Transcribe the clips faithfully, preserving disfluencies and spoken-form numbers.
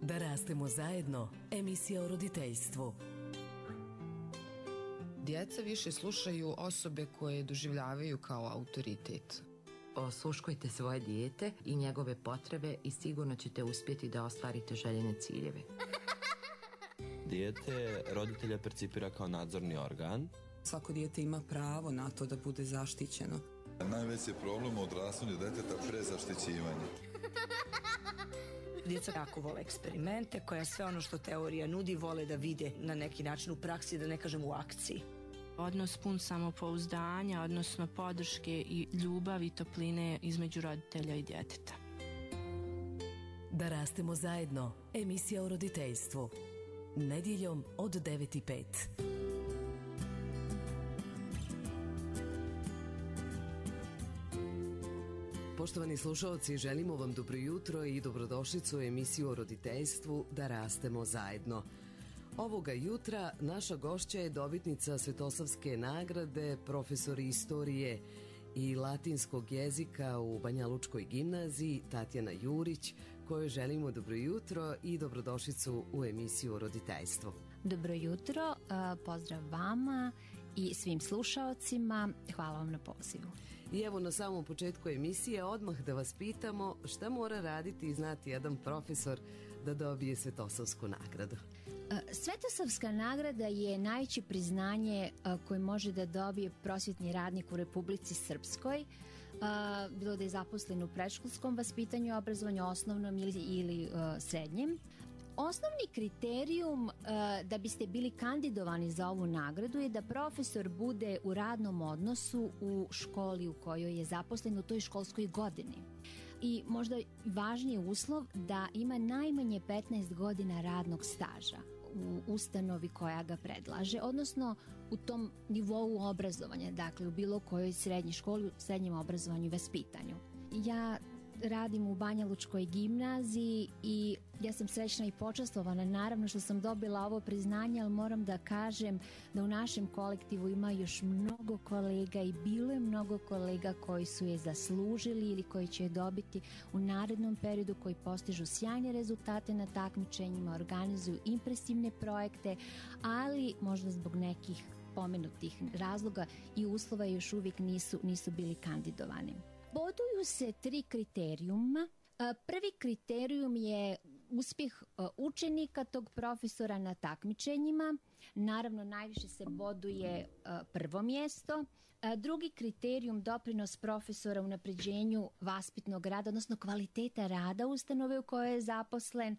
Da rastemo zajedno, emisija o roditeljstvu. Djeca više slušaju osobe koje doživljavaju kao autoritet. Osluškujte svoje dijete i njegove potrebe i sigurno ćete uspjeti da ostvarite željene ciljeve. Dijete roditelja percipira kao nadzorni organ. Svako dijete ima pravo na to da bude zaštićeno. Najveći problem u odrastanju djeteta prezaštićivanje. Djeca jako vole eksperimente, koja sve ono što teorija nudi vole da vide na neki način u praksi, da ne kažem u akciji. Odnos pun samopouzdanja, odnosno podrške i ljubavi i topline između roditelja i djeteta. Da rastemo zajedno, emisija o roditeljstvu. Nedjeljom od devet i pet. Poštovani slušalci, želimo vam dobro jutro i dobrodošlicu u emisiju o roditeljstvu Da rastemo zajedno. Ovoga jutra naša gošća je dobitnica Svetosavske nagrade, profesor istorije i latinskog jezika u Banjalučkoj gimnaziji Tatjana Jurić, kojoj želimo dobro jutro i dobrodošlicu u emisiju o roditeljstvu. Dobro jutro, pozdrav vama i svim slušaocima, hvala vam na pozivu. I evo na samom početku emisije odmah da vas pitamo šta mora raditi i znati jedan profesor da dobije Svetosavsku nagradu. Svetosavska nagrada je najveće priznanje koje može da dobije prosvjetni radnik u Republici Srpskoj, bilo da je zaposlen u predškolskom vaspitanju, obrazovanju, osnovnom ili, ili srednjem. Osnovni kriterijum da biste bili kandidovani za ovu nagradu je da profesor bude u radnom odnosu u školi u kojoj je zaposlen u toj školskoj godini. I možda važniji uslov da ima najmanje petnaest godina radnog staža u ustanovi koja ga predlaže, odnosno u tom nivou obrazovanja, dakle u bilo kojoj srednjoj školi, u srednjem obrazovanju i vaspitanju. Ja radim u Banjalučkoj gimnaziji i ja sam srećna i počastvovana naravno što sam dobila ovo priznanje, ali moram da kažem da u našem kolektivu ima još mnogo kolega i bilo je mnogo kolega koji su je zaslužili ili koji će je dobiti u narednom periodu, koji postižu sjajne rezultate na takmičenjima, organizuju impresivne projekte, ali možda zbog nekih pomenutih razloga i uslova još uvijek nisu, nisu bili kandidovani. Boduju se tri kriterijuma. Prvi kriterijum je uspjeh učenika tog profesora na takmičenjima. Naravno, najviše se boduje prvo mjesto. Drugi kriterijum, doprinos profesora u unapređenju vaspitnog rada, odnosno kvaliteta rada ustanove u kojoj je zaposlen.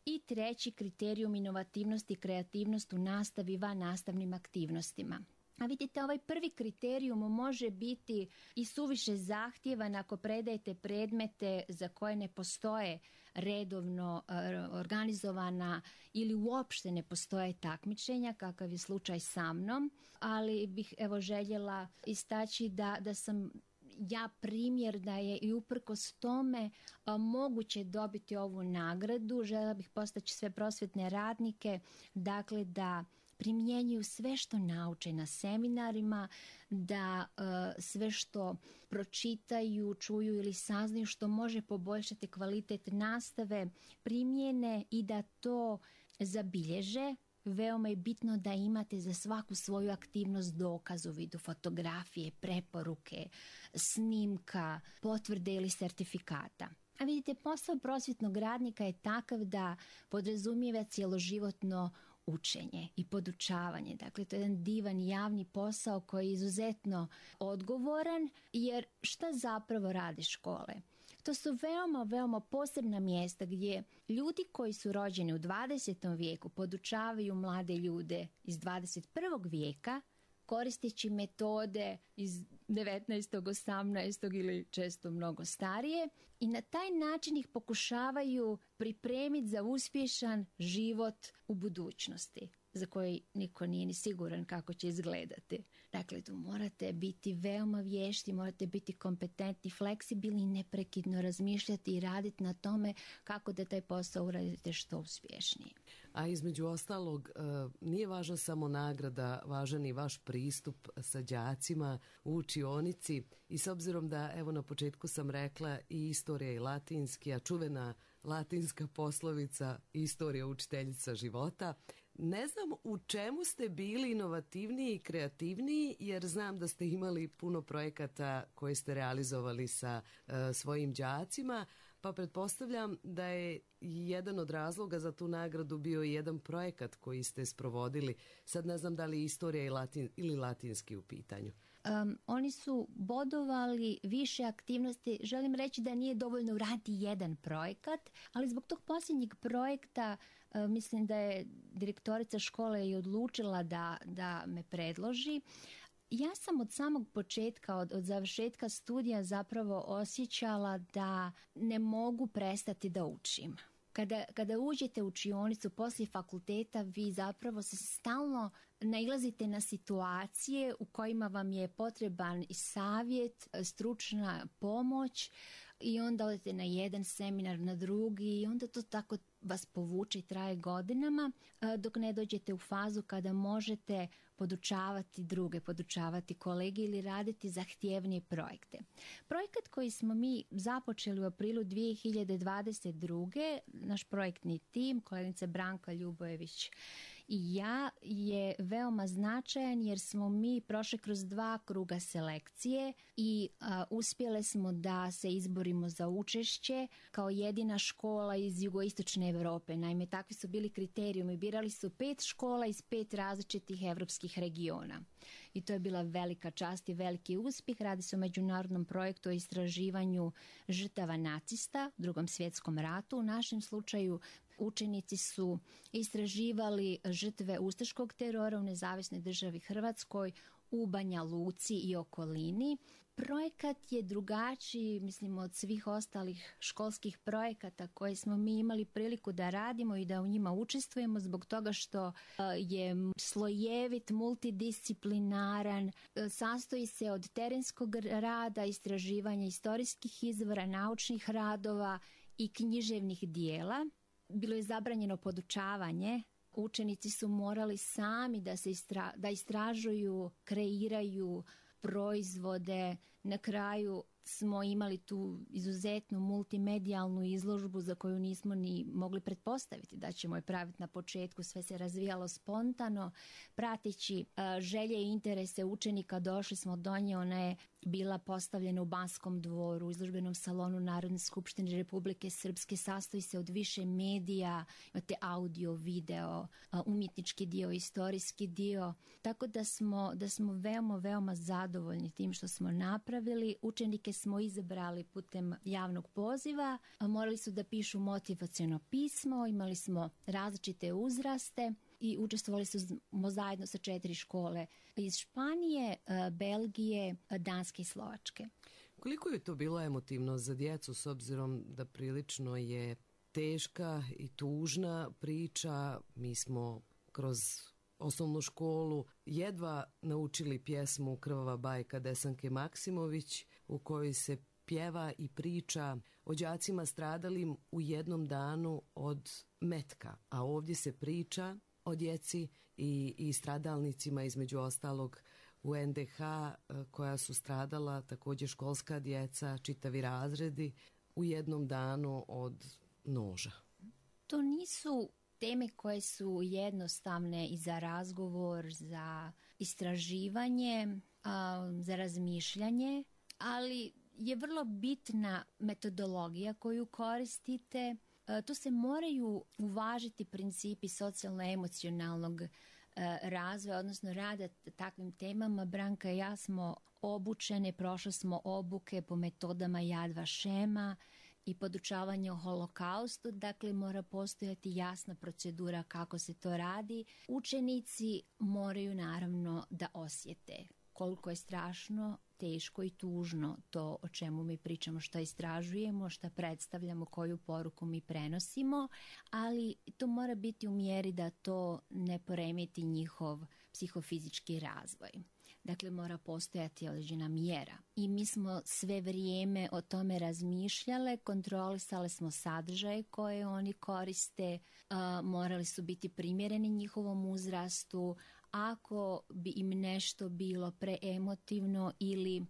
I treći kriterijum, inovativnost i kreativnost u nastavi van nastavnim aktivnostima. A vidite, ovaj prvi kriterijum može biti i suviše zahtjevan ako predajete predmete za koje ne postoje redovno organizovana ili uopšte ne postoje takmičenja, kakav je slučaj sa mnom, ali bih evo željela istaći da, da sam ja primjer da je i uprkos tome a, moguće dobiti ovu nagradu. Željela bih postaći sve prosvjetne radnike, dakle da primjenjuju sve što nauče na seminarima, da uh, sve što pročitaju, čuju ili saznaju što može poboljšati kvalitet nastave, primjene i da to zabilježe. Veoma je bitno da imate za svaku svoju aktivnost dokaz u vidu fotografije, preporuke, snimka, potvrde ili sertifikata. A vidite, posao prosvjetnog radnika je takav da podrazumijeva cjeloživotno učenje i podučavanje. Dakle, to je jedan divan javni posao koji je izuzetno odgovoran, jer šta zapravo rade škole? To su veoma, veoma posebna mjesta gdje ljudi koji su rođeni u dvadesetom vijeku podučavaju mlade ljude iz dvadeset prvog vijeka, koristeći metode iz devetnaestog, osamnaestog ili često mnogo starije, i na taj način ih pokušavaju pripremiti za uspješan život u budućnosti, za koji niko nije ni siguran kako će izgledati. Dakle, tu morate biti veoma vješti, morate biti kompetentni, fleksibilni i neprekidno razmišljati i raditi na tome kako da taj posao uradite što uspješnije. A između ostalog, nije važna samo nagrada, važan i vaš pristup sa đacima u učionici, i s obzirom da, evo na početku sam rekla, i istorija i latinski, a čuvena latinska poslovica istorija učiteljica života. Ne znam u čemu ste bili inovativniji i kreativniji, jer znam da ste imali puno projekata koje ste realizovali sa uh, svojim đacima, pa pretpostavljam da je jedan od razloga za tu nagradu bio i jedan projekat koji ste sprovodili. Sad ne znam da li je istorija i latin, ili latinski u pitanju. Um, oni su bodovali više aktivnosti. Želim reći da nije dovoljno uraditi jedan projekat, ali zbog tog posljednjeg projekta uh, mislim da je direktorica škole i odlučila da, da me predloži. Ja sam od samog početka, od, od završetka studija zapravo osjećala da ne mogu prestati da učim. Kada, kada uđete u učionicu poslije fakulteta, vi zapravo se stalno nailazite na situacije u kojima vam je potreban i savjet, stručna pomoć i onda odete na jedan seminar, na drugi i onda to tako vas povuče i traje godinama dok ne dođete u fazu kada možete podučavati druge, podučavati kolege ili raditi zahtjevnije projekte. Projekat koji smo mi započeli u aprilu dvije hiljade dvadeset druge. naš projektni tim, kolegica Branka Ljubojević i ja, je veoma značajan jer smo mi prošli kroz dva kruga selekcije i a, uspjele smo da se izborimo za učešće kao jedina škola iz jugoistočne Europe. Naime, takvi su bili kriterijumi. Birali su pet škola iz pet različitih evropskih regiona. I to je bila velika čast i veliki uspjeh. Radi se o međunarodnom projektu o istraživanju žrtava nacista u Drugom svjetskom ratu. U našem slučaju učenici su istraživali žrtve ustaškog terora u Nezavisnoj državi Hrvatskoj, u Banja Luci i okolini. Projekat je drugačiji, mislim, od svih ostalih školskih projekata koje smo mi imali priliku da radimo i da u njima učestvujemo zbog toga što je slojevit, multidisciplinaran, sastoji se od terenskog rada, istraživanja istorijskih izvora, naučnih radova i književnih dijela. Bilo je zabranjeno podučavanje. Učenici su morali sami da se istra, da istražuju, kreiraju proizvode. Na kraju smo imali tu izuzetnu multimedijalnu izložbu za koju nismo ni mogli pretpostaviti da ćemo je praviti na početku. Sve se razvijalo spontano. Prateći uh, želje i interese učenika došli smo do nje. Ona je bila postavljena u Banskom dvoru, u izložbenom salonu Narodne skupštine Republike Srpske. Sastoji se od više medija, imate audio, video, umjetnički dio, istorijski dio. Tako da smo, da smo veoma, veoma zadovoljni tim što smo napravili. Učenike smo izabrali putem javnog poziva. Morali su da pišu motivaciono pismo, imali smo različite uzraste i učestvovali su zajedno sa četiri škole iz Španije, Belgije, Danske i Slovačke. Koliko je to bilo emotivno za djecu s obzirom da prilično je teška i tužna priča? Mi smo kroz osnovnu školu jedva naučili pjesmu Krvava bajka Desanke Maksimović u kojoj se pjeva i priča o đacima stradalim u jednom danu od metka, a ovdje se priča o djeci i, i stradalnicima, između ostalog u en de ha koja su stradala, također školska djeca, čitavi razredi u jednom danu od noža. To nisu teme koje su jednostavne i za razgovor, za istraživanje, za razmišljanje, ali je vrlo bitna metodologija koju koristite. Tu se moraju uvažiti principi socijalno-emocionalnog razvoja, odnosno rada takvim temama. Branka i ja smo obučene, prošle smo obuke po metodama Yad Vašema i podučavanje o holokaustu, dakle mora postojati jasna procedura kako se to radi. Učenici moraju naravno da osjete koliko je strašno, teško i tužno to o čemu mi pričamo, šta istražujemo, šta predstavljamo, koju poruku mi prenosimo, ali to mora biti u mjeri da to ne poremeti njihov psihofizički razvoj. Dakle, mora postojati određena mjera. I mi smo sve vrijeme o tome razmišljale, kontrolisale smo sadržaje koje oni koriste, uh, morali su biti primjereni njihovom uzrastu. Ako bi im nešto bilo preemotivno ili uh,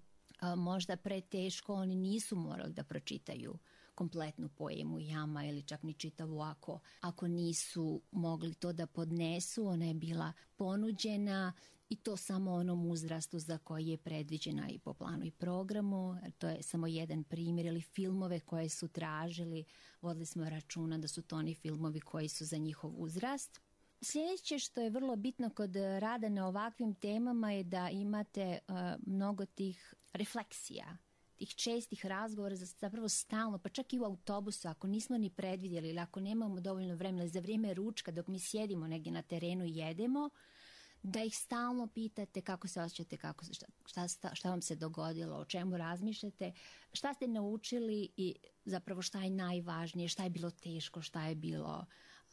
možda preteško, oni nisu morali da pročitaju kompletnu poemu Jama ili čak ni čitavu ako, ako nisu mogli to da podnesu. Ona je bila ponuđena i to samo onom uzrastu za koji je predviđena i po planu i programu. To je samo jedan primjer. Ili filmove koje su tražili, vodili smo računa da su to oni filmovi koji su za njihov uzrast. Sljedeće što je vrlo bitno kod rada na ovakvim temama je da imate uh, mnogo tih refleksija, tih čestih razgovora, zapravo stalno, pa čak i u autobusu, ako nismo ni predvidjeli ili ako nemamo dovoljno vremena, za vrijeme ručka dok mi sjedimo negdje na terenu i jedemo, da ih stalno pitate kako se osjećate, kako, šta, šta, šta vam se dogodilo, o čemu razmišljate, šta ste naučili i zapravo šta je najvažnije, šta je bilo teško, šta je bilo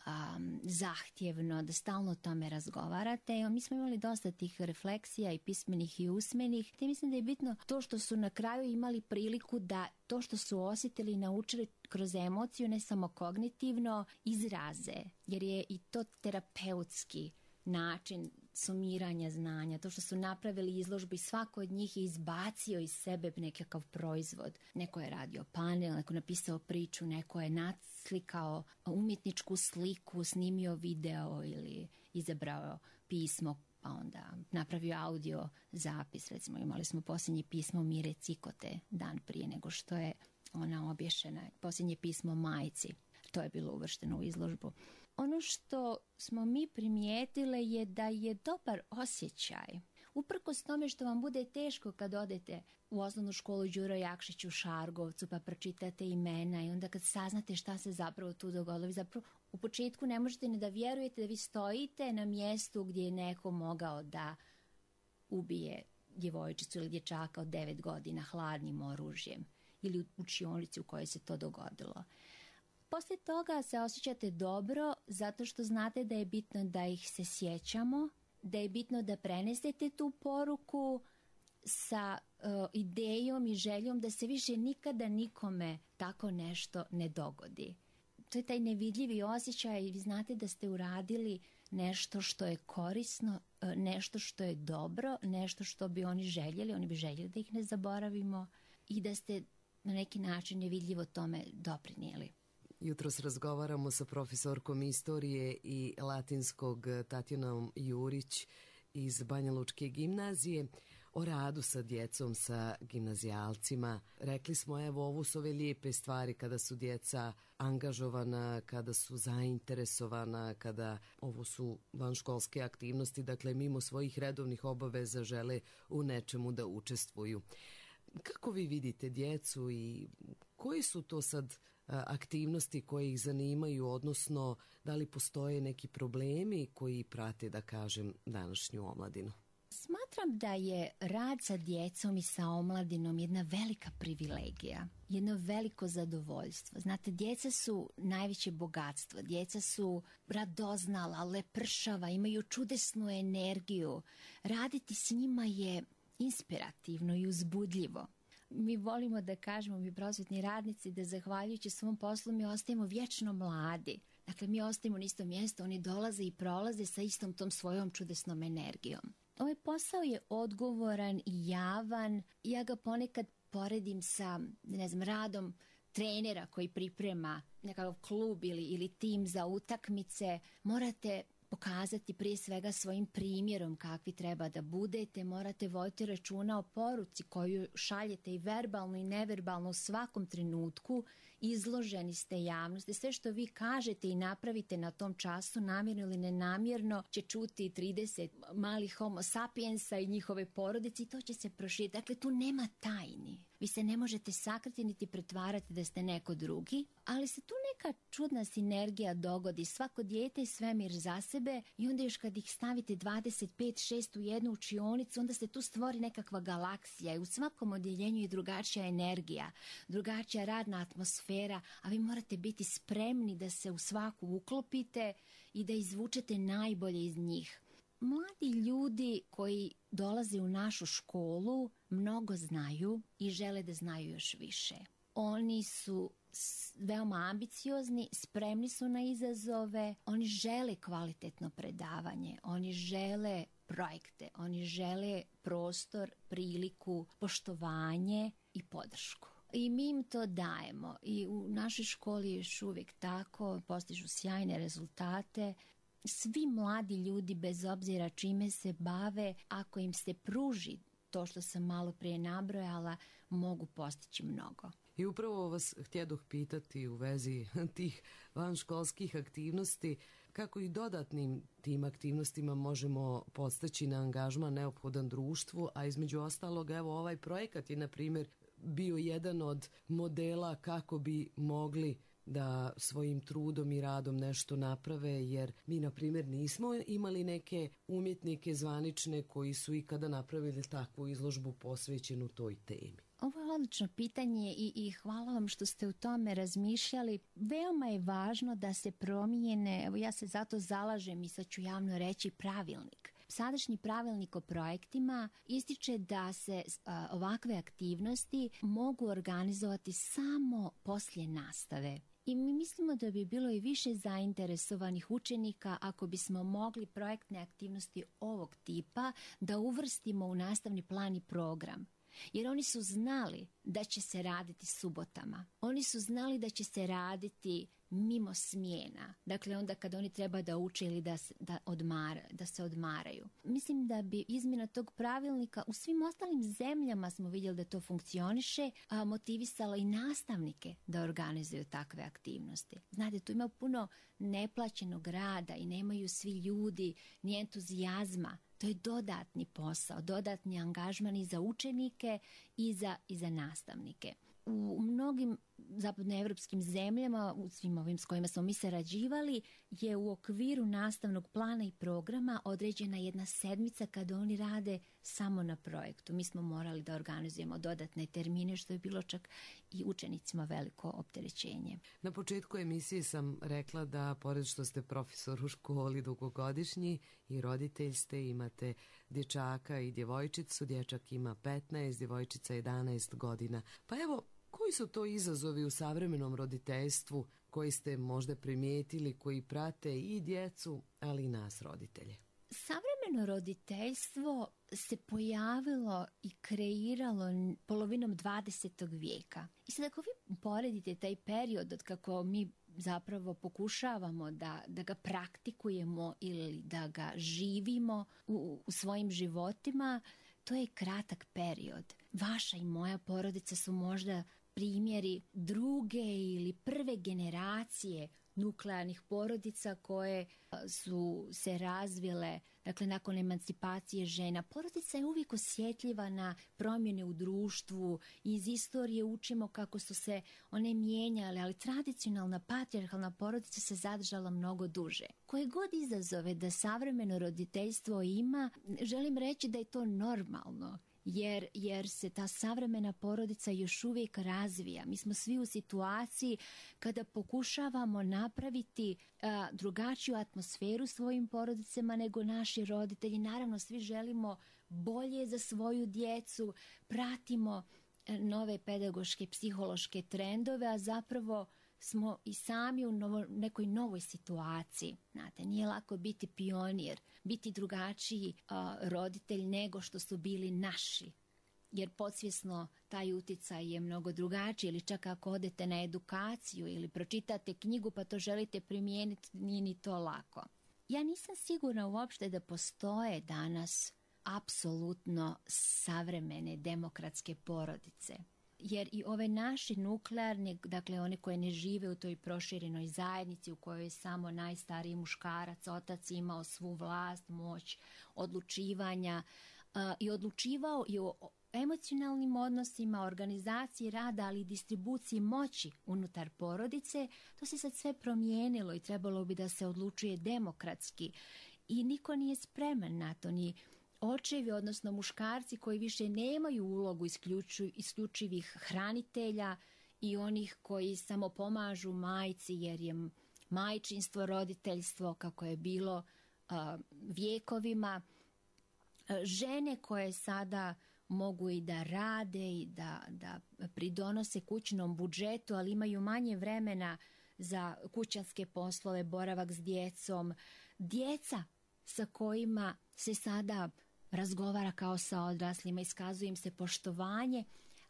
um, zahtjevno, da stalno o tome razgovarate. Mi smo imali dosta tih refleksija i pismenih i usmenih. Te mislim da je bitno to što su na kraju imali priliku da to što su osjetili i naučili kroz emociju, ne samo kognitivno, izraze, jer je i to terapeutski način sumiranja znanja. To što su napravili izložbu i svako od njih je izbacio iz sebe nekakav proizvod. Neko je radio panel, neko je napisao priču, neko je naslikao umjetničku sliku, snimio video ili izabrao pismo, pa onda napravio audio zapis. Recimo imali smo posljednje pismo Mire Cikote dan prije nego što je ona obješena. Posljednje pismo majci. To je bilo uvršteno u izložbu. Ono što smo mi primijetile je da je dobar osjećaj. Uprkos tome što vam bude teško kad odete u osnovnu školu Đuro Jakšić u Šargovcu pa pročitate imena i onda kad saznate šta se zapravo tu dogodilo, vi zapravo u početku ne možete ni da vjerujete da vi stojite na mjestu gdje je neko mogao da ubije djevojčicu ili dječaka od devet godina hladnim oružjem ili u učionici u kojoj se to dogodilo. Poslije toga se osjećate dobro zato što znate da je bitno da ih se sjećamo, da je bitno da prenesete tu poruku sa uh, idejom i željom da se više nikada nikome tako nešto ne dogodi. To je taj nevidljivi osjećaj i vi znate da ste uradili nešto što je korisno, uh, nešto što je dobro, nešto što bi oni željeli, oni bi željeli da ih ne zaboravimo i da ste na neki način nevidljivo tome doprinijeli. Jutros razgovaramo sa profesorkom istorije i latinskog Tatjanom Jurić iz Banja Lučke gimnazije o radu sa djecom, sa gimnazijalcima. Rekli smo, evo, ovo su ove lijepe stvari kada su djeca angažovana, kada su zainteresovana, kada ovo su vanškolske aktivnosti, dakle mimo svojih redovnih obaveza žele u nečemu da učestvuju. Kako vi vidite djecu i koji su to sad aktivnosti koje ih zanimaju, odnosno da li postoje neki problemi koji prate, da kažem, današnju omladinu? Smatram da je rad sa djecom i sa omladinom jedna velika privilegija, jedno veliko zadovoljstvo. Znate, djeca su najveće bogatstvo, djeca su radoznala, lepršava, imaju čudesnu energiju. Raditi s njima je inspirativno i uzbudljivo. Mi volimo da kažemo, mi prosvjetni radnici, da zahvaljujući svom poslu mi ostajemo vječno mladi. Dakle, mi ostajemo na istom mjestu, oni dolaze i prolaze sa istom tom svojom čudesnom energijom. Ovaj posao je odgovoran i javan. Ja ga ponekad poredim sa, ne znam, radom trenera koji priprema nekakav klub ili, ili tim za utakmice. Morate pokazati prije svega svojim primjerom kakvi treba da budete, morate voditi računa o poruci koju šaljete i verbalno i neverbalno u svakom trenutku, izloženi ste javnosti. Sve što vi kažete i napravite na tom času, namjerno ili nenamjerno, će čuti trideset malih homo sapiensa i njihove porodice i to će se proširiti. Dakle, tu nema tajni. Vi se ne možete sakriti niti pretvarati da ste neko drugi, ali se tu neka čudna sinergija dogodi. Svako dijete je svemir za sebe i onda još kad ih stavite dvadeset pet šest u jednu učionicu, onda se tu stvori nekakva galaksija i u svakom odjeljenju je drugačija energija, drugačija radna atmosfera, a vi morate biti spremni da se u svaku uklopite i da izvučete najbolje iz njih. Mladi ljudi koji dolaze u našu školu mnogo znaju i žele da znaju još više. Oni su veoma ambiciozni, spremni su na izazove, oni žele kvalitetno predavanje, oni žele projekte, oni žele prostor, priliku, poštovanje i podršku. i mi im to dajemo. I u našoj školi je još uvijek tako, postižu sjajne rezultate. Svi mladi ljudi, bez obzira čime se bave, ako im se pruži to što sam malo prije nabrojala, mogu postići mnogo. I upravo vas htjedoh pitati u vezi tih vanškolskih aktivnosti, kako i dodatnim tim aktivnostima možemo podstaći na angažman neophodan društvu, a između ostalog, evo, ovaj projekat je, na primjer, bio jedan od modela kako bi mogli da svojim trudom i radom nešto naprave, jer mi, na primjer, nismo imali neke umjetnike zvanične koji su ikada napravili takvu izložbu posvećenu toj temi. Ovo je odlično pitanje i, i hvala vam što ste u tome razmišljali. Veoma je važno da se promijene, evo ja se zato zalažem i sad ću javno reći, pravilnik. Sadašnji pravilnik o projektima ističe da se a, ovakve aktivnosti mogu organizovati samo poslije nastave. I mi mislimo da bi bilo i više zainteresovanih učenika ako bismo mogli projektne aktivnosti ovog tipa da uvrstimo u nastavni plan i program. Jer oni su znali da će se raditi subotama. Oni su znali da će se raditi mimo smjena. Dakle, onda kad oni treba da uče ili da, da, odmara, da se odmaraju. Mislim da bi izmjena tog pravilnika, u svim ostalim zemljama smo vidjeli da to funkcioniše, a motivisala i nastavnike da organizuju takve aktivnosti. Znate, tu ima puno neplaćenog rada i nemaju svi ljudi ni entuzijazma. To je dodatni posao, dodatni angažman i za učenike i za, i za nastavnike. U mnogim zapadnoevropskim zemljama, u svim ovim s kojima smo mi sarađivali, je u okviru nastavnog plana i programa određena jedna sedmica kada oni rade samo na projektu. Mi smo morali da organizujemo dodatne termine, što je bilo čak i učenicima veliko opterećenje. Na početku emisije sam rekla da, pored što ste profesor u školi dugogodišnji i roditelj ste, imate dječaka i djevojčicu. Dječak ima petnaest, djevojčica jedanaest godina. Pa evo, koji su to izazovi u savremenom roditeljstvu koji ste možda primijetili, koji prate i djecu, ali i nas roditelje? Savremeno roditeljstvo se pojavilo i kreiralo polovinom dvadesetog vijeka. I sad ako vi poredite taj period od kako mi zapravo pokušavamo da, da ga praktikujemo ili da ga živimo u, u svojim životima, to je kratak period. Vaša i moja porodica su možda primjeri druge ili prve generacije nuklearnih porodica koje su se razvile, dakle, nakon emancipacije žena. Porodica je uvijek osjetljiva na promjene u društvu. Iz istorije učimo kako su se one mijenjale, ali tradicionalna patrijarhalna porodica se zadržala mnogo duže. Koje god izazove da savremeno roditeljstvo ima, želim reći da je to normalno. Jer, jer se ta savremena porodica još uvijek razvija. Mi smo svi u situaciji kada pokušavamo napraviti a, drugačiju atmosferu svojim porodicama nego naši roditelji. Naravno, svi želimo bolje za svoju djecu, pratimo a, nove pedagoške, psihološke trendove, a zapravo smo i sami u novo, nekoj novoj situaciji. Znate, nije lako biti pionir, biti drugačiji a, roditelj nego što su bili naši. Jer podsvjesno taj utjecaj je mnogo drugačiji, ili čak ako odete na edukaciju ili pročitate knjigu pa to želite primijeniti, nije ni to lako. Ja nisam sigurna uopšte da postoje danas apsolutno savremene demokratske porodice. Jer i ove naše nuklearne, dakle one koje ne žive u toj proširenoj zajednici u kojoj je samo najstariji muškarac, otac imao svu vlast, moć odlučivanja uh, i odlučivao i o emocionalnim odnosima, organizaciji rada, ali i distribuciji moći unutar porodice, to se sad sve promijenilo i trebalo bi da se odlučuje demokratski. I niko nije spreman na to, ni očevi, odnosno muškarci koji više nemaju ulogu isključu, isključivih hranitelja i onih koji samo pomažu majci jer je majčinstvo, roditeljstvo kako je bilo uh, vjekovima. Žene koje sada mogu i da rade i da, da pridonose kućnom budžetu, ali imaju manje vremena za kućanske poslove, boravak s djecom. Djeca sa kojima se sada razgovara kao sa odraslima, iskazuje im se poštovanje,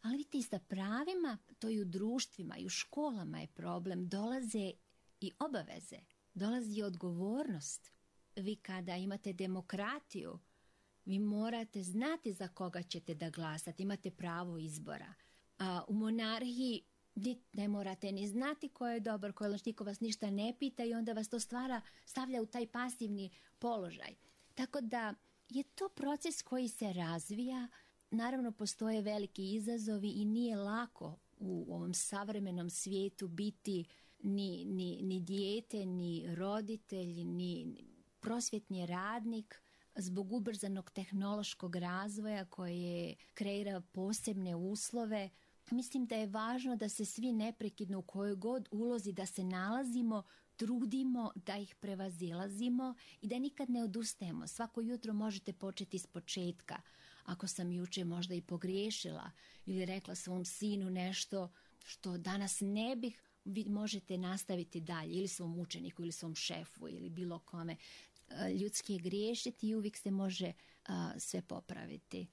Ali vidite, i sa pravima, to i u društvima, i u školama je problem, dolaze i obaveze, dolazi i odgovornost. Vi kada imate demokratiju, vi morate znati za koga ćete da glasate, imate pravo izbora. A u monarhiji ne morate ni znati ko je dobar, ko je loš, niko vas ništa ne pita i onda vas to stvara, stavlja u taj pasivni položaj. Tako da je to proces koji se razvija. Naravno, postoje veliki izazovi i nije lako u ovom savremenom svijetu biti ni, ni, ni dijete, ni roditelj, ni prosvjetni radnik zbog ubrzanog tehnološkog razvoja koje kreira posebne uslove. Mislim da je važno da se svi neprekidno u kojoj god ulozi da se nalazimo, trudimo da ih prevazilazimo i da nikad ne odustajemo. Svako jutro možete početi iz početka. Ako sam juče možda i pogriješila ili rekla svom sinu nešto što danas ne bih, vi možete nastaviti dalje ili svom učeniku ili svom šefu ili bilo kome. Ljudski je griješiti i uvijek se može a, sve popraviti.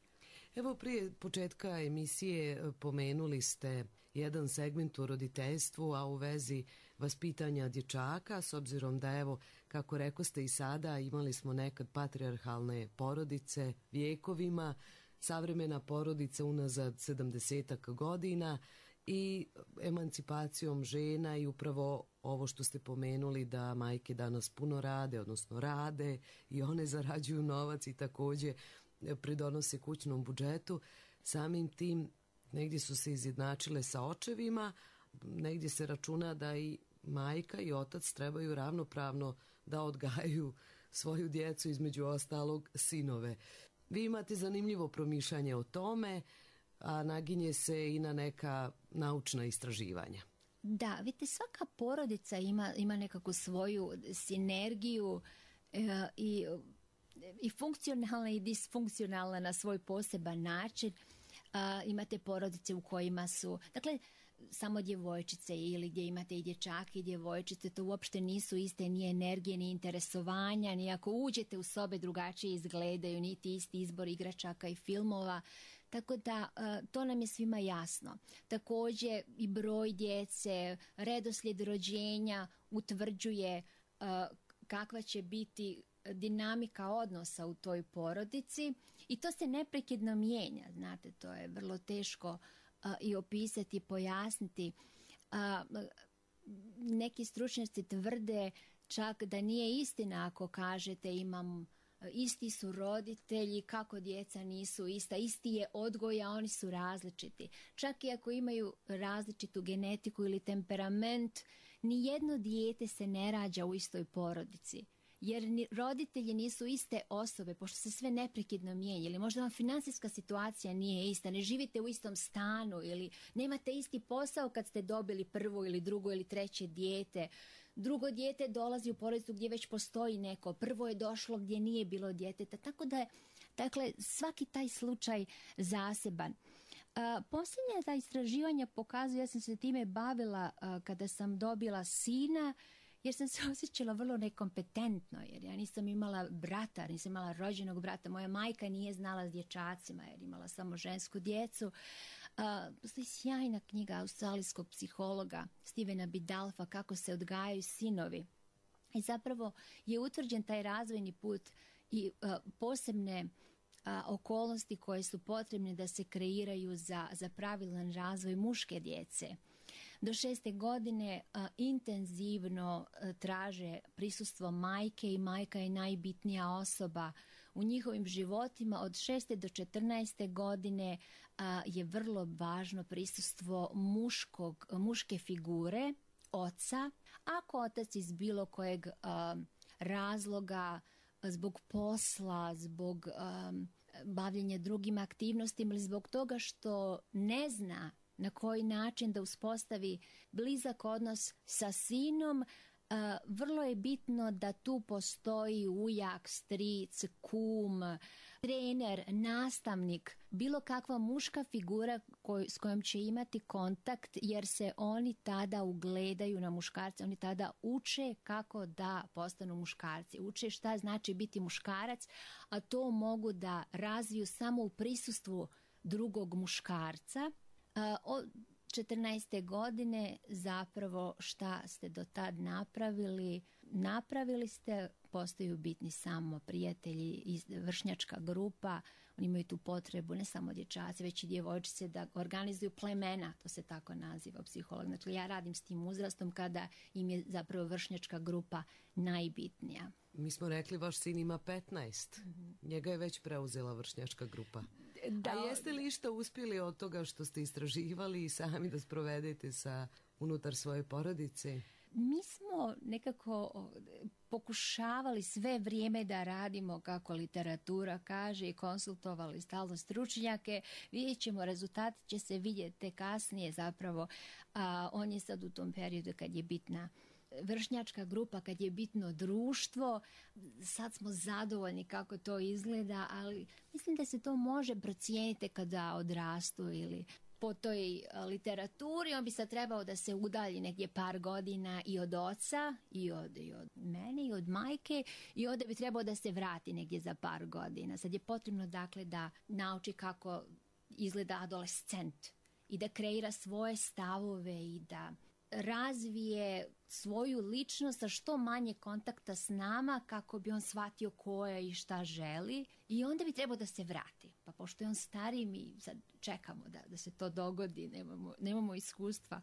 Evo, prije početka emisije pomenuli ste jedan segment u roditeljstvu, a u vezi vaspitanja dječaka, s obzirom da, evo, kako rekoste i sada, imali smo nekad patrijarhalne porodice vjekovima, savremena porodica unazad sedamdesetak godina i emancipacijom žena i upravo ovo što ste pomenuli da majke danas puno rade, odnosno rade i one zarađuju novac i također pridonose kućnom budžetu. Samim tim negdje su se izjednačile sa očevima, negdje se računa da i majka i otac trebaju ravnopravno da odgajaju svoju djecu, između ostalog sinove. Vi imate zanimljivo promišljanje o tome, a naginje se i na neka naučna istraživanja. Da, vidite, svaka porodica ima, ima nekako svoju sinergiju e, i, i funkcionalna i disfunkcionalna na svoj poseban način. A, imate porodice u kojima su, dakle, samo djevojčice ili gdje imate i dječake i djevojčice, to uopšte nisu iste ni energije, ni interesovanja, ni ako uđete u sobe drugačije izgledaju, niti isti izbor igračaka i filmova. Tako da to nam je svima jasno. Također i broj djece, redoslijed rođenja utvrđuje kakva će biti dinamika odnosa u toj porodici i to se neprekidno mijenja. Znate, to je vrlo teško i opisati, pojasniti. Neki stručnjaci tvrde čak da nije istina ako kažete imam isti su roditelji, kako djeca nisu ista, isti je odgoj, a oni su različiti. Čak i ako imaju različitu genetiku ili temperament, ni jedno dijete se ne rađa u istoj porodici. Jer ni roditelji nisu iste osobe, pošto se sve neprekidno mijenja. Ili možda vam financijska situacija nije ista, ne živite u istom stanu ili nemate isti posao kad ste dobili prvo ili drugo ili treće dijete. Drugo dijete dolazi u porodicu gdje već postoji neko, prvo je došlo gdje nije bilo djeteta. Tako da je, dakle, svaki taj slučaj zaseban. A, posljednja ta istraživanja pokazuju, ja sam se time bavila a, kada sam dobila sina, jer sam se osjećala vrlo nekompetentno, jer ja nisam imala brata, nisam imala rođenog brata. Moja majka nije znala s dječacima, jer imala samo žensku djecu. Uh, postoji sjajna knjiga australijskog psihologa Stevena Bidalfa Kako se odgajaju sinovi. I zapravo je utvrđen taj razvojni put i uh, posebne uh, okolnosti koje su potrebne da se kreiraju za, za pravilan razvoj muške djece. Do šeste godine a, intenzivno a, traže prisustvo majke i majka je najbitnija osoba u njihovim životima. Od šeste do četrnaeste godine a, je vrlo važno prisustvo muškog, muške figure, oca. Ako otac iz bilo kojeg a, razloga, zbog posla, zbog a, bavljenja drugim aktivnostima ili zbog toga što ne zna na koji način da uspostavi blizak odnos sa sinom, uh, vrlo je bitno da tu postoji ujak, stric, kum, trener, nastavnik, bilo kakva muška figura koj, s kojom će imati kontakt, jer se oni tada ugledaju na muškarce, oni tada uče kako da postanu muškarci, uče šta znači biti muškarac, a to mogu da razviju samo u prisustvu drugog muškarca. Od četrnaeste godine zapravo šta ste do tad napravili, napravili ste, postaju bitni samo prijatelji, vršnjačka grupa, oni imaju tu potrebu, ne samo dječaci, već i djevojčice da organizuju plemena, to se tako naziva psiholog. Znači ja radim s tim uzrastom kada im je zapravo vršnjačka grupa najbitnija. Mi smo rekli vaš sin ima petnaest, mm-hmm. njega je već preuzela vršnjačka grupa. Da, a jeste li išta uspjeli od toga što ste istraživali i sami da sprovedete sa unutar svoje porodice? Mi smo nekako pokušavali sve vrijeme da radimo kako literatura kaže i konsultovali stalno stručnjake. Vidjet ćemo, rezultati će se vidjeti kasnije zapravo. A on je sad u tom periodu kad je bitna vršnjačka grupa, kad je bitno društvo. Sad smo zadovoljni kako to izgleda, ali mislim da se to može procijeniti kada odrastu ili po toj literaturi. On bi sad trebao da se udalji negdje par godina i od oca i od, i od mene i od majke i onda bi trebao da se vrati negdje za par godina. Sad je potrebno dakle da nauči kako izgleda adolescent i da kreira svoje stavove i da razvije svoju ličnost sa što manje kontakta s nama kako bi on shvatio ko je i šta želi i onda bi trebao da se vrati. Pa pošto je on stariji, mi sad čekamo da, da se to dogodi, nemamo, nemamo iskustva.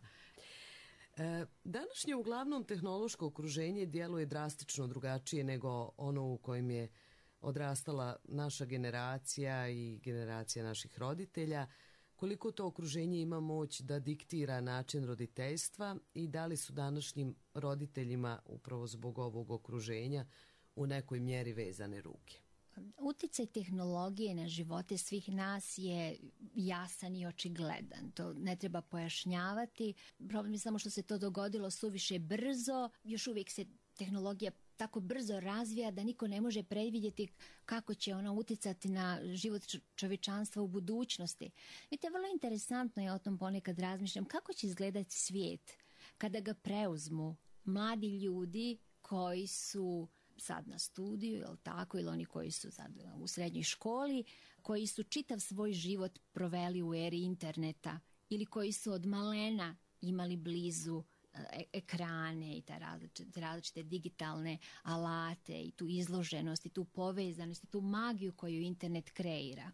E, današnje uglavnom tehnološko okruženje djeluje drastično drugačije nego ono u kojem je odrastala naša generacija i generacija naših roditelja. Koliko to okruženje ima moć da diktira način roditeljstva i da li su današnjim roditeljima upravo zbog ovog okruženja u nekoj mjeri vezane ruke? Uticaj tehnologije na živote svih nas je jasan i očigledan. To ne treba pojašnjavati. Problem je samo što se to dogodilo suviše brzo. Još uvijek se tehnologija tako brzo razvija da niko ne može predvidjeti kako će ona uticati na život čovječanstva u budućnosti. Vidite, vrlo interesantno je, o tom ponekad razmišljam, kako će izgledati svijet kada ga preuzmu mladi ljudi koji su sad na studiju, ili tako, ili oni koji su sad u srednjoj školi, koji su čitav svoj život proveli u eri interneta ili koji su od malena imali blizu ekrane i te različite, različite digitalne alate i tu izloženost i tu povezanost i tu magiju koju internet kreira.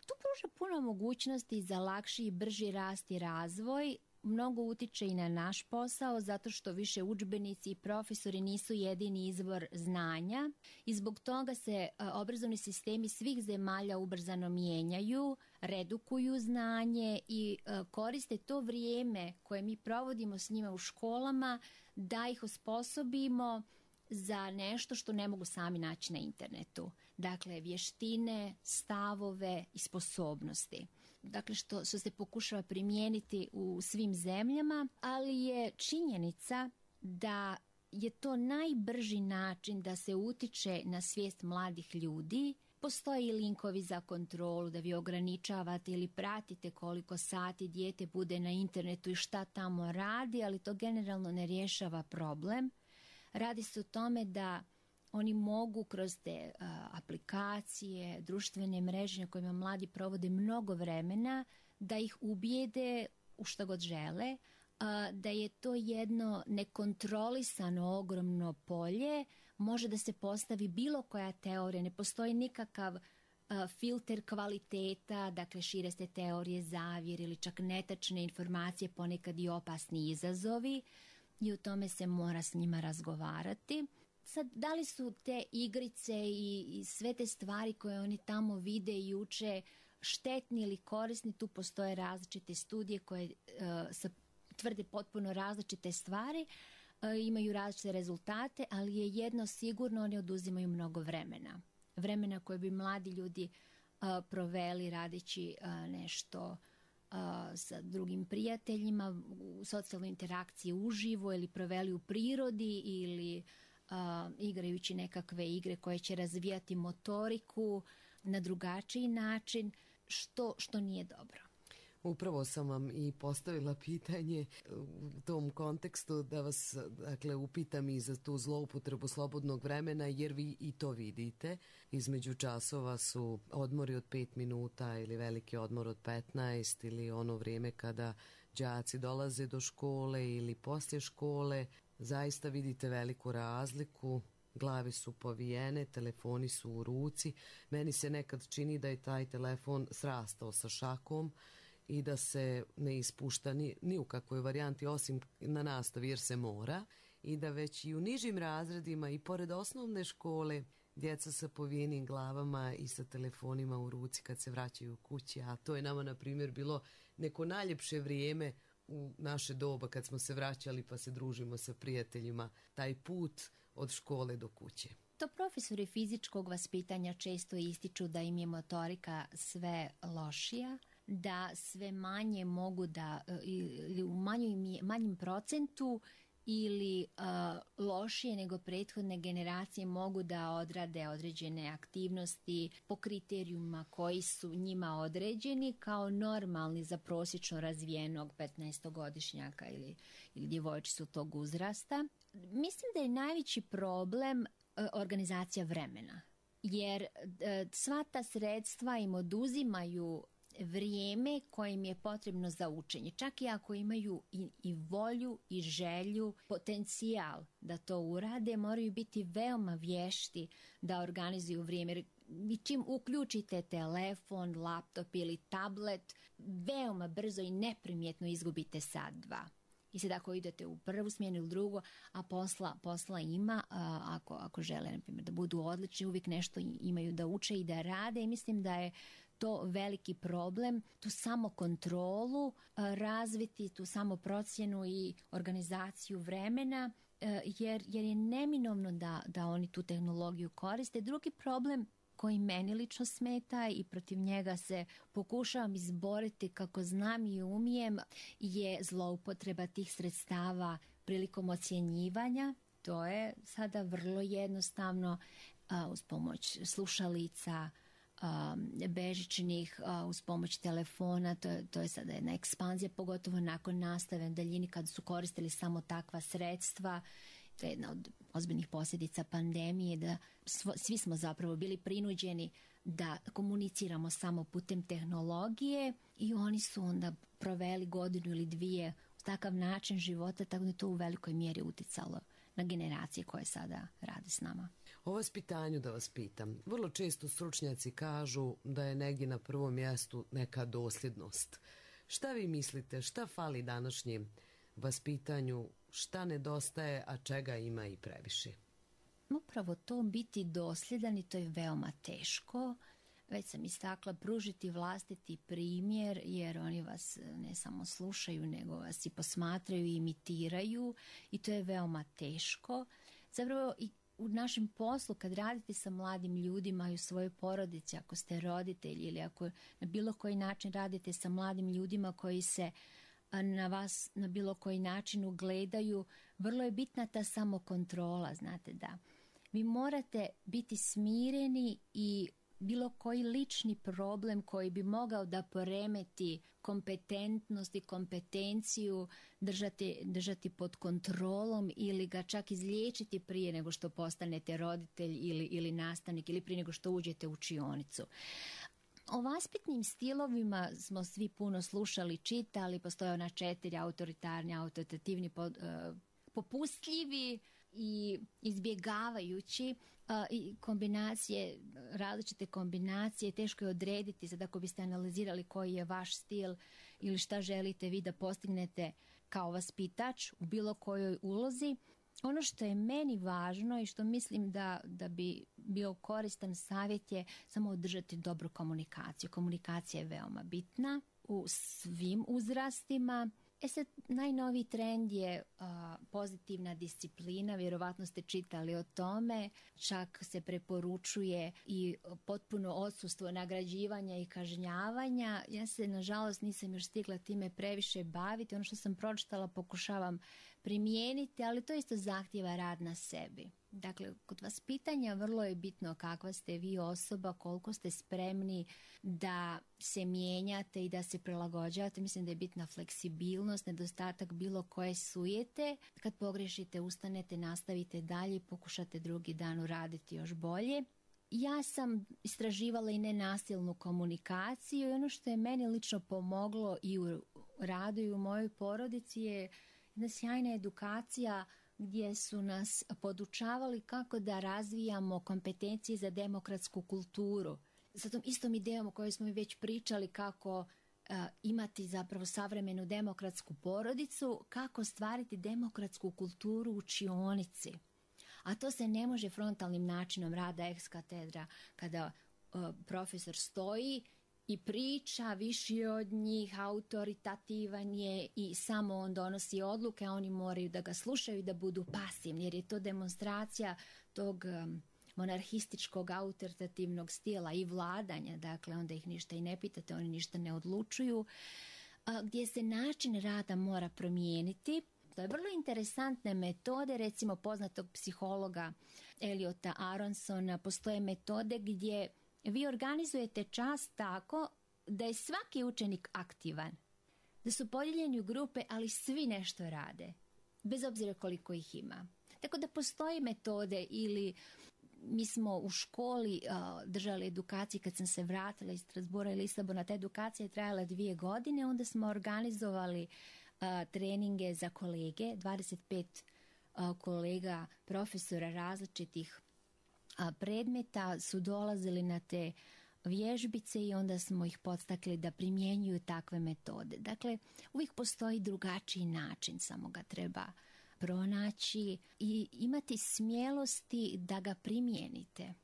Tu pruža puno mogućnosti za lakši i brži rast i razvoj. Mnogo utiče i na naš posao zato što više udžbenici i profesori nisu jedini izvor znanja i zbog toga se obrazovni sistemi svih zemalja ubrzano mijenjaju, redukuju znanje i koriste to vrijeme koje mi provodimo s njima u školama da ih osposobimo za nešto što ne mogu sami naći na internetu. Dakle, vještine, stavove i sposobnosti. Dakle, što, što se pokušava primijeniti u svim zemljama, ali je činjenica da je to najbrži način da se utiče na svijest mladih ljudi. Postoji linkovi za kontrolu da vi ograničavate ili pratite koliko sati dijete bude na internetu i šta tamo radi, ali to generalno ne rješava problem. Radi se o tome da oni mogu kroz te uh, aplikacije, društvene mreže na kojima mladi provode mnogo vremena, da ih ubijede u što god žele, uh, da je to jedno nekontrolisano ogromno polje, može da se postavi bilo koja teorija, ne postoji nikakav uh, filter kvaliteta, dakle šire se teorije zavjere ili čak netačne informacije, ponekad i opasni izazovi i o tome se mora s njima razgovarati. Sad, da li su te igrice i, i sve te stvari koje oni tamo vide i uče štetni ili korisni, tu postoje različite studije koje uh, sa, tvrde potpuno različite stvari, uh, imaju različite rezultate, ali je jedno sigurno, oni oduzimaju mnogo vremena. Vremena koje bi mladi ljudi uh, proveli radeći uh, nešto uh, sa drugim prijateljima, u socijalnoj interakciji uživo ili proveli u prirodi ili Uh, igrajući nekakve igre koje će razvijati motoriku na drugačiji način, što, što nije dobro. Upravo sam vam i postavila pitanje u tom kontekstu da vas, dakle, upitam i za tu zloupotrebu slobodnog vremena, jer vi i to vidite. Između časova su odmori od pet minuta ili veliki odmor od petnaest ili ono vrijeme kada đaci dolaze do škole ili poslije škole. Zaista vidite veliku razliku. Glave su povijene, telefoni su u ruci. Meni se nekad čini da je taj telefon srastao sa šakom i da se ne ispušta ni, ni u kakvoj varijanti osim na nastavi jer se mora, i da već i u nižim razredima i pored osnovne škole djeca sa povijenim glavama i sa telefonima u ruci kad se vraćaju kući, a to je nama na primjer bilo neko najljepše vrijeme u naše doba kad smo se vraćali pa se družimo sa prijateljima, taj put od škole do kuće. To profesori fizičkog vaspitanja često ističu da im je motorika sve lošija, da sve manje mogu da, ili u manjim, manjim procentu ili uh, lošije nego prethodne generacije mogu da odrade određene aktivnosti po kriterijuma koji su njima određeni kao normalni za prosječno razvijenog petnaestogodišnjaka ili, ili djevojčicu tog uzrasta. Mislim da je najveći problem uh, organizacija vremena, jer uh, sva ta sredstva im oduzimaju vrijeme kojim je potrebno za učenje. Čak i ako imaju i, i volju i želju, potencijal da to urade, moraju biti veoma vješti da organizuju vrijeme. I čim uključite telefon, laptop ili tablet, veoma brzo i neprimjetno izgubite sat, dva. I sad ako idete u prvu smjenu ili drugu, a posla, posla ima, a, ako, ako žele, na primjer, da budu odlični, uvijek nešto imaju da uče i da rade, i mislim da je to veliki problem, tu samo kontrolu razviti, tu samo procjenu i organizaciju vremena, jer, jer je neminovno da, da oni tu tehnologiju koriste. Drugi problem koji meni lično smeta i protiv njega se pokušavam izboriti kako znam i umijem je zloupotreba tih sredstava prilikom ocjenjivanja. To je sada vrlo jednostavno uz pomoć slušalica, bežičnih, uz pomoć telefona. To je, to je sada jedna ekspanzija, pogotovo nakon nastave na daljini kad su koristili samo takva sredstva. To je jedna od ozbiljnih posljedica pandemije, da svi smo zapravo bili prinuđeni da komuniciramo samo putem tehnologije i oni su onda proveli godinu ili dvije u takav način života, tako da je to u velikoj mjeri utjecalo na generacije koje sada rade s nama. O vaspitanju da vas pitam. Vrlo često stručnjaci kažu da je negdje na prvom mjestu neka dosljednost. Šta vi mislite, šta fali današnjem vaspitanju, šta nedostaje, a čega ima i previše? Upravo to, biti dosljedan, i to je veoma teško. Već sam istakla, pružiti vlastiti primjer, jer oni vas ne samo slušaju, nego vas i posmatraju i imitiraju, i to je veoma teško. Zapravo i u našem poslu, kad radite sa mladim ljudima i u svojoj porodici, ako ste roditelji ili ako na bilo koji način radite sa mladim ljudima koji se na vas na bilo koji način ugledaju, vrlo je bitna ta samokontrola, znate, da vi morate biti smireni i bilo koji lični problem koji bi mogao da poremeti kompetentnost i kompetenciju držati, držati pod kontrolom ili ga čak izliječiti prije nego što postanete roditelj ili, ili nastavnik ili prije nego što uđete u učionicu. O vaspitnim stilovima smo svi puno slušali, čitali, postoje ona četiri: autoritarni, autoritativni, popustljivi i izbjegavajući, i kombinacije, različite kombinacije. Teško je odrediti sad ako biste analizirali koji je vaš stil ili šta želite vi da postignete kao vaspitač u bilo kojoj ulozi. Ono što je meni važno i što mislim da, da bi bio koristan savjet je samo održati dobru komunikaciju. Komunikacija je veoma bitna u svim uzrastima. E sad, najnoviji trend je a, pozitivna disciplina, vjerovatno ste čitali o tome, čak se preporučuje i potpuno odsustvo nagrađivanja i kažnjavanja. Ja se, nažalost, nisam još stigla time previše baviti. Ono što sam pročitala pokušavam primijeniti, ali to isto zahtijeva rad na sebi. Dakle, kod vas pitanja vrlo je bitno kakva ste vi osoba, koliko ste spremni da se mijenjate i da se prilagođavate. Mislim da je bitna fleksibilnost, nedostatak bilo koje sujete. Kad pogrešite, ustanete, nastavite dalje i pokušate drugi dan uraditi još bolje. Ja sam istraživala i nenasilnu komunikaciju i ono što je meni lično pomoglo i u radu i u mojoj porodici je jedna sjajna edukacija gdje su nas podučavali kako da razvijamo kompetencije za demokratsku kulturu. Sa tom istom idejom o kojoj smo već pričali, kako uh, imati zapravo savremenu demokratsku porodicu, kako stvariti demokratsku kulturu u učionici. A to se ne može frontalnim načinom rada ex katedra, kada uh, profesor stoji i priča, viši od njih, autoritativan je i samo on donosi odluke, a oni moraju da ga slušaju i da budu pasivni, jer je to demonstracija tog um, monarhističkog autoritativnog stila i vladanja, dakle onda ih ništa i ne pitate, oni ništa ne odlučuju, a, gdje se način rada mora promijeniti. To je vrlo interesantne metode, recimo poznatog psihologa Eliota Aronsona, postoje metode gdje vi organizujete čas tako da je svaki učenik aktivan, da su podijeljeni u grupe, ali svi nešto rade, bez obzira koliko ih ima. Tako da postoje metode, ili mi smo u školi uh, držali edukaciju kad sam se vratila iz Strasbura i Lisabona. Ta edukacija je trajala dvije godine, onda smo organizovali uh, treninge za kolege, dvadeset pet uh, kolega, profesora različitih a predmeta su dolazili na te vježbice i onda smo ih podstakli da primjenjuju takve metode. Dakle, uvijek postoji drugačiji način, samo ga treba pronaći i imati smjelosti da ga primijenite.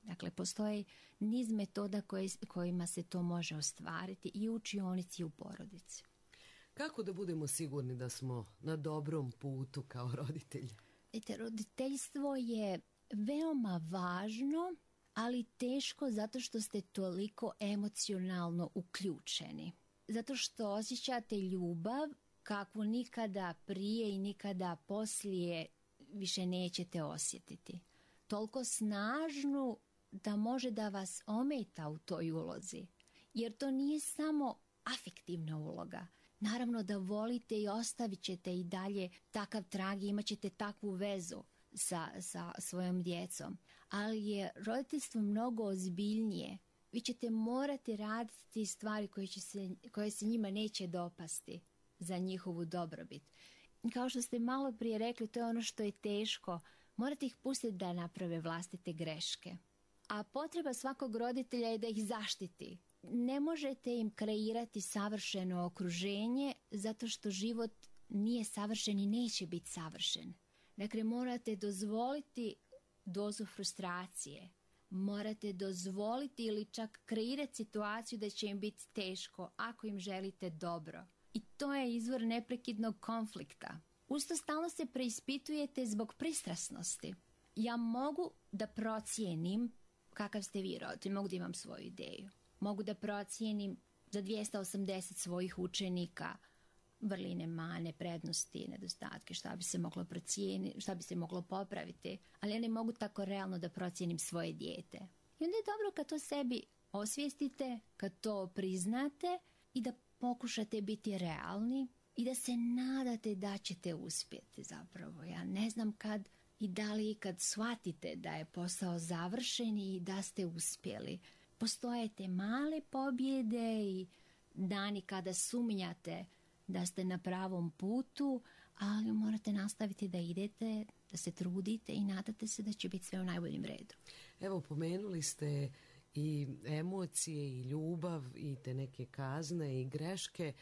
Dakle, postoji niz metoda koje, kojima se to može ostvariti i u učionici i u porodici. Kako da budemo sigurni da smo na dobrom putu kao roditelji? Ete, roditeljstvo je veoma važno, ali teško zato što ste toliko emocionalno uključeni. Zato što osjećate ljubav kakvu nikada prije i nikada poslije više nećete osjetiti. Toliko snažnu da može da vas ometa u toj ulozi. Jer to nije samo afektivna uloga. Naravno da volite i ostavit ćete i dalje takav trag i imat ćete takvu vezu sa, sa svojom djecom. Ali je roditeljstvo mnogo ozbiljnije. Vi ćete morati raditi stvari koje, će se, koje se njima neće dopasti za njihovu dobrobit. Kao što ste malo prije rekli, to je ono što je teško. Morate ih pustiti da naprave vlastite greške. A potreba svakog roditelja je da ih zaštiti. Ne možete im kreirati savršeno okruženje zato što život nije savršen i neće biti savršen. Dakle, morate dozvoliti dozu frustracije. Morate dozvoliti ili čak kreirati situaciju da će im biti teško ako im želite dobro. I to je izvor neprekidnog konflikta. Usto stalno se preispitujete zbog pristrasnosti. Ja mogu da procijenim kakav ste vi roditelj, mogu da imam svoju ideju. Mogu da procijenim za dvjesto osamdeset svojih učenika vrline, mane, prednosti, nedostatke, šta bi se moglo procijeniti, šta bi se moglo popraviti, ali ja ne mogu tako realno da procijenim svoje dijete. I onda je dobro kad to sebi osvijestite, kad to priznate i da pokušate biti realni i da se nadate da ćete uspjeti zapravo. Ja ne znam kad i da li kad shvatite da je posao završen i da ste uspjeli. Postoje te male pobjede i dani kada sumnjate da ste na pravom putu, ali morate nastaviti da idete, da se trudite i nadate se da će biti sve u najboljem redu. Evo, pomenuli ste i emocije i ljubav i te neke kazne i greške.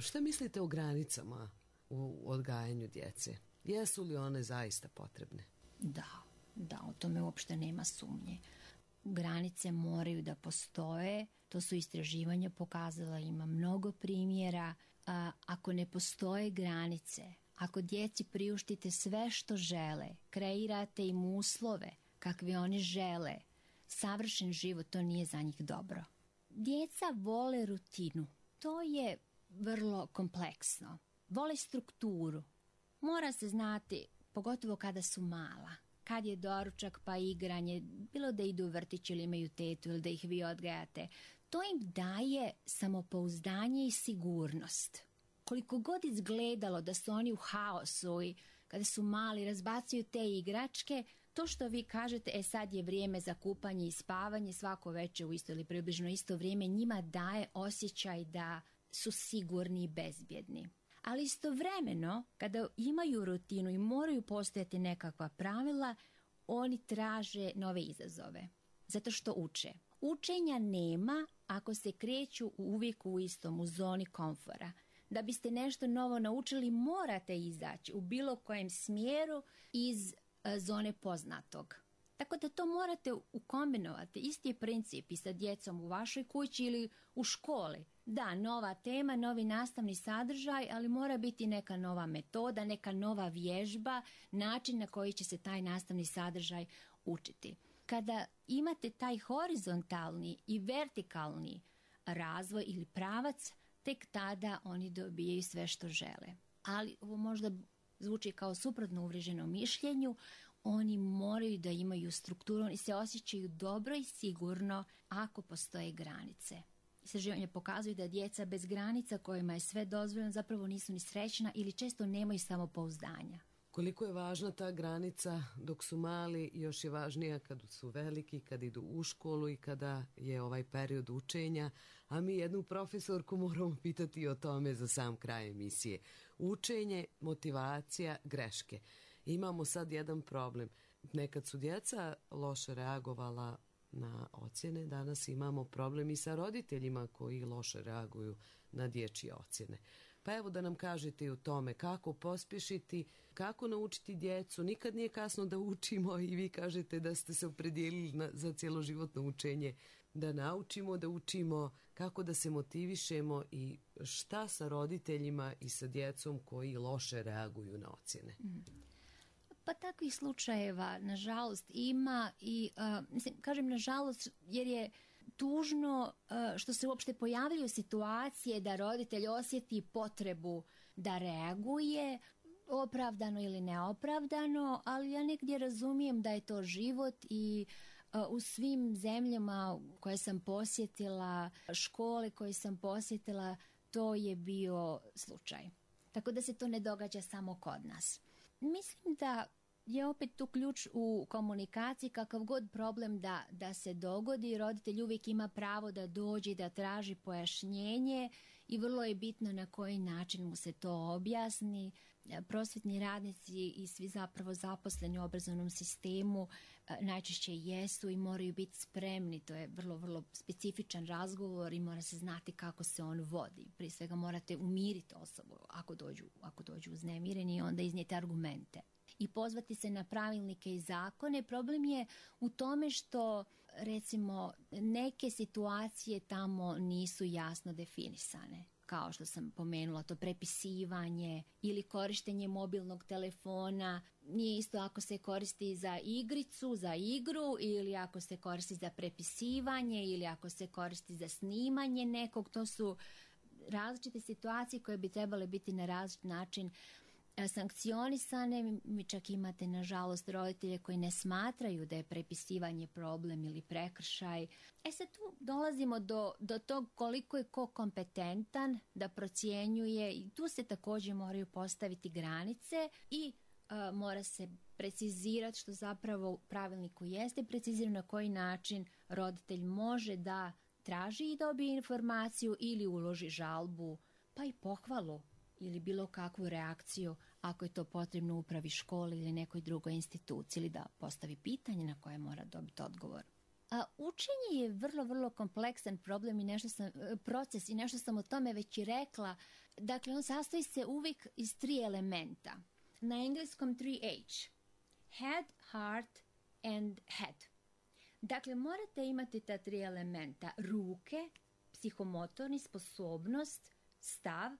Šta mislite o granicama u odgajanju djece? Jesu li one zaista potrebne? Da, da, o tome uopšte nema sumnje. Granice moraju da postoje, to su istraživanja pokazala, ima mnogo primjera. A, ako ne postoje granice, ako djeci priuštite sve što žele, kreirate im uslove kakve oni žele, savršen život, to nije za njih dobro. Djeca vole rutinu, to je vrlo kompleksno. Vole strukturu. Mora se znati, pogotovo kada su mala, kad je doručak pa igranje, bilo da idu u vrtić ili imaju tetu ili da ih vi odgajate. To im daje samopouzdanje i sigurnost. Koliko god izgledalo da su oni u haosu i kada su mali razbacuju te igračke, to što vi kažete, e sad je vrijeme za kupanje i spavanje, svako večer u isto ili približno isto vrijeme, njima daje osjećaj da su sigurni i bezbjedni. Ali istovremeno, kada imaju rutinu i moraju postojati nekakva pravila, oni traže nove izazove, zato što uče. Učenja nema ako se kreću uvijek u istom, u zoni komfora. Da biste nešto novo naučili, morate izaći u bilo kojem smjeru iz a, zone poznatog. Tako da to morate ukombinovati. Isti je princip i sa djecom u vašoj kući ili u školi. Da, nova tema, novi nastavni sadržaj, ali mora biti neka nova metoda, neka nova vježba, način na koji će se taj nastavni sadržaj učiti. Kada imate taj horizontalni i vertikalni razvoj ili pravac, tek tada oni dobijaju sve što žele. Ali ovo možda zvuči kao suprotno uvriježenom mišljenju, oni moraju da imaju strukturu i se osjećaju dobro i sigurno ako postoje granice. Istraživanje pokazuju da djeca bez granica kojima je sve dozvoljeno zapravo nisu ni srećna ili često nemaju samopouzdanja. Koliko je važna ta granica dok su mali, još je važnija kad su veliki, kad idu u školu i kada je ovaj period učenja. A mi jednu profesorku moramo pitati o tome za sam kraj emisije. Učenje, motivacija, greške. Imamo sad jedan problem. Nekad su djeca loše reagovala na ocjene, danas imamo problem i sa roditeljima koji loše reaguju na dječje ocjene. Pa evo da nam kažete u tome kako pospješiti, kako naučiti djecu. Nikad nije kasno da učimo i vi kažete da ste se opredijelili na, za cjeloživotno učenje. Da naučimo, da učimo kako da se motivišemo i šta sa roditeljima i sa djecom koji loše reaguju na ocjene. Mm. Pa takvih slučajeva, nažalost, ima i, uh, mislim, kažem nažalost, jer je tužno uh, što se uopšte pojavljaju situacije da roditelj osjeti potrebu da reaguje, opravdano ili neopravdano, ali ja negdje razumijem da je to život i uh, u svim zemljama koje sam posjetila, škole koje sam posjetila, to je bio slučaj. Tako da se to ne događa samo kod nas. Mislim da je opet tu ključ u komunikaciji, kakav god problem da, da se dogodi, roditelj uvijek ima pravo da dođe i da traži pojašnjenje i vrlo je bitno na koji način mu se to objasni. Prosvjetni radnici i svi zapravo zaposleni u obrazovnom sistemu najčešće jesu i moraju biti spremni. To je vrlo, vrlo specifičan razgovor i mora se znati kako se on vodi. Prije svega morate umiriti osobu ako dođu, ako dođu uznemireni i onda iznijeti argumente. I pozvati se na pravilnike i zakone. Problem je u tome što, recimo, neke situacije tamo nisu jasno definisane. Kao što sam pomenula, to prepisivanje ili korištenje mobilnog telefona. Nije isto ako se koristi za igricu, za igru, ili ako se koristi za prepisivanje, ili ako se koristi za snimanje nekog. To su različite situacije koje bi trebale biti na različit način sankcionisane. Mi čak imate, nažalost, roditelje koji ne smatraju da je prepisivanje problem ili prekršaj. E sad tu dolazimo do, do tog koliko je ko kompetentan da procjenjuje i tu se također moraju postaviti granice i uh, mora se precizirati, što zapravo u pravilniku jeste precizirano, na koji način roditelj može da traži i dobije informaciju ili uloži žalbu, pa i pohvalu ili bilo kakvu reakciju ako je to potrebno upravi školi ili nekoj drugoj instituciji, ili da postavi pitanje na koje mora dobiti odgovor. A učenje je vrlo, vrlo kompleksan problem i nešto sam, proces i nešto sam o tome već i rekla. Dakle, on sastoji se uvijek iz tri elementa. Na engleskom tri H. Head, heart and head. Dakle, morate imati ta tri elementa. Ruke, psihomotorni, sposobnost, stav,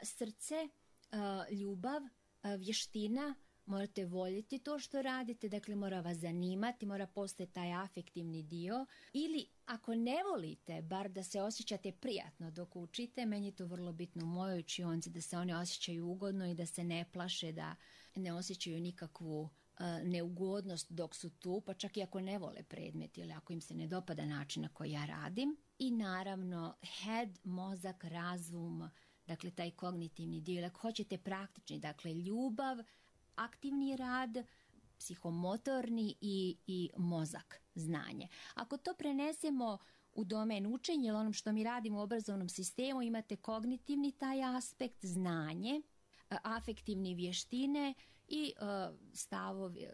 srce, ljubav, vještina, morate voljeti to što radite, dakle mora vas zanimati, mora postojati taj afektivni dio. Ili ako ne volite, bar da se osjećate prijatno dok učite, meni je to vrlo bitno u mojoj učionci, da se one osjećaju ugodno i da se ne plaše, da ne osjećaju nikakvu neugodnost dok su tu, pa čak i ako ne vole predmet ili ako im se ne dopada način na koji ja radim. I naravno head, mozak, razum, dakle taj kognitivni dio. Ako hoćete praktični, dakle ljubav, aktivni rad, psihomotorni i, i mozak, znanje. Ako to prenesemo u domen učenja ili onom što mi radimo u obrazovnom sistemu, imate kognitivni taj aspekt, znanje, afektivni vještine i uh, stavovi,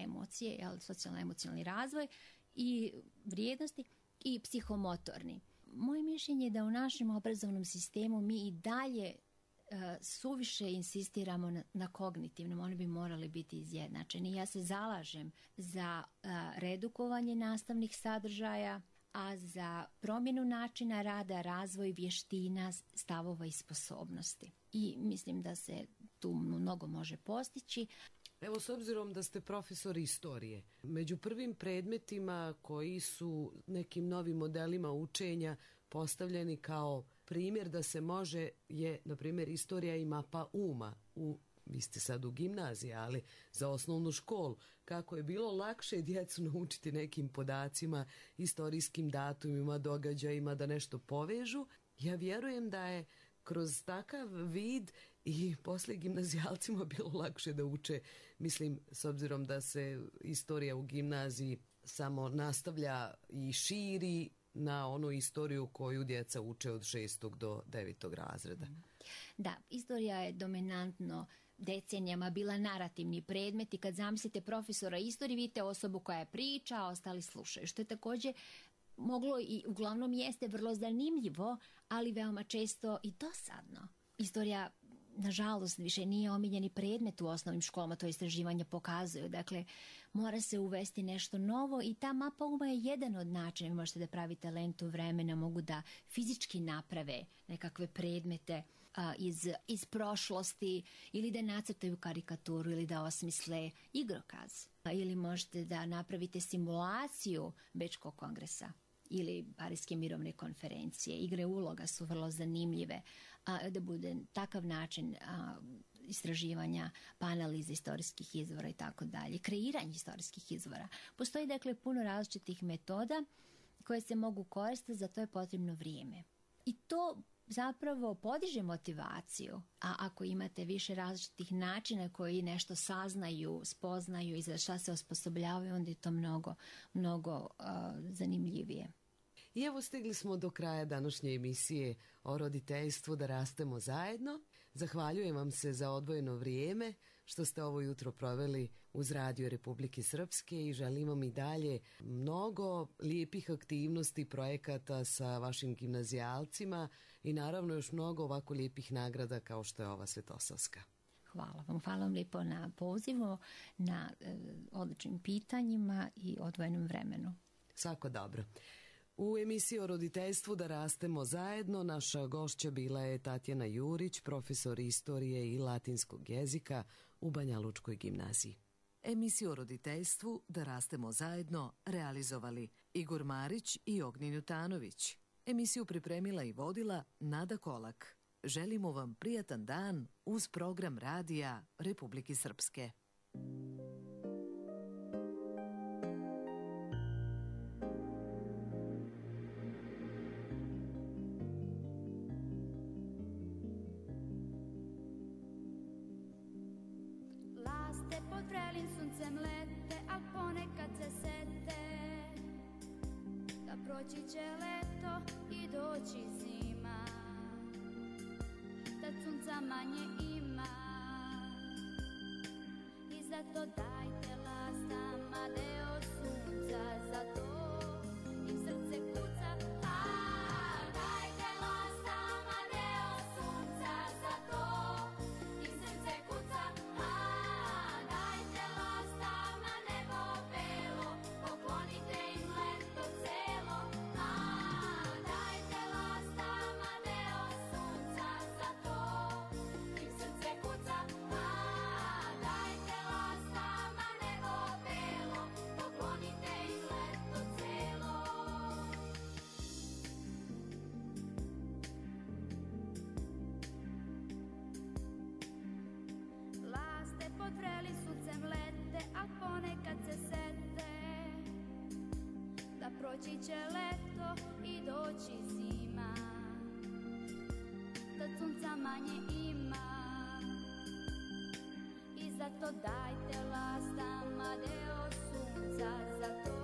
emocije, jel, socijalno-emocionalni razvoj i vrijednosti i psihomotorni. Moje mišljenje je da u našem obrazovnom sistemu mi i dalje uh, suviše insistiramo na, na kognitivnom, oni bi morali biti izjednačeni. Ja se zalažem za uh, redukovanje nastavnih sadržaja, a za promjenu načina rada, razvoj vještina, stavova i sposobnosti. I mislim da se tu mnogo može postići. Evo, s obzirom da ste profesor istorije, među prvim predmetima koji su nekim novim modelima učenja postavljeni kao primjer da se može je, na primjer, istorija i mapa uma. U, vi ste sad u gimnaziji, ali za osnovnu školu. Kako je bilo lakše djecu naučiti nekim podacima, istorijskim datumima, događajima, da nešto povežu. Ja vjerujem da je kroz takav vid i poslije gimnazijalcima bilo lakše da uče, mislim, s obzirom da se istorija u gimnaziji samo nastavlja i širi na onu istoriju koju djeca uče od šestog do devetog razreda. Da, istorija je dominantno decenijama bila narativni predmet i kad zamislite profesora istorije, vidite osobu koja je priča, a ostali slušaju, što je također moglo i uglavnom jeste vrlo zanimljivo, ali veoma često i dosadno. Istorija, nažalost, više nije omiljeni predmet u osnovnim školama, to istraživanja pokazuju. Dakle, mora se uvesti nešto novo i ta mapa uma je jedan od načina. Vi možete da pravite lentu vremena, mogu da fizički naprave nekakve predmete a, iz, iz prošlosti ili da nacrtaju karikaturu ili da osmisle igrokaz. A, ili možete da napravite simulaciju Bečkog kongresa ili Pariske mirovne konferencije. Igre uloga su vrlo zanimljive, a, da bude takav način a, istraživanja, pa analize istorijskih izvora i tako dalje, kreiranje istorijskih izvora. Postoji dakle puno različitih metoda koje se mogu koristiti, za to je potrebno vrijeme. I to zapravo podiže motivaciju, a ako imate više različitih načina koji nešto saznaju, spoznaju i za šta se osposobljavaju, onda je to mnogo, mnogo uh, zanimljivije. I evo, stigli smo do kraja današnje emisije o roditeljstvu Da rastemo zajedno. Zahvaljujem vam se za odvojeno vrijeme što ste ovo jutro proveli uz Radio Republike Srpske i želim vam i dalje mnogo lijepih aktivnosti, projekata sa vašim gimnazijalcima i naravno još mnogo ovako lijepih nagrada kao što je ova Svetosavska. Hvala vam. Hvala vam lijepo na pozivu, na e, odličnim pitanjima i odvojenom vremenu. Svako dobro. U emisiji o roditeljstvu Da rastemo zajedno naša gošća bila je Tatjana Jurić, profesor istorije i latinskog jezika u Banja Lučkoj gimnaziji. Emisiju o roditeljstvu Da rastemo zajedno realizovali Igor Marić i Ognjen Jutanović. Emisiju pripremila i vodila Nada Kolak. Želimo vam prijatan dan uz program Radija Republike Srpske. Laste pod vrelim suncem lete, a ponekad se sete da proći će leto i doći zima, da sunca manje ima i zato dajte lastama deo sunca, zato im srce kuca. A dajte lastama deo sunca, zato im srce kuca. A dajte lastama nebo belo, poklonite im leto celo. A dajte lastama deo sunca, zato im srce kuca. A dajte lastama proći će leto i doći zima, kad sunca manje ima. I zato dajte lastama deo sunca, zato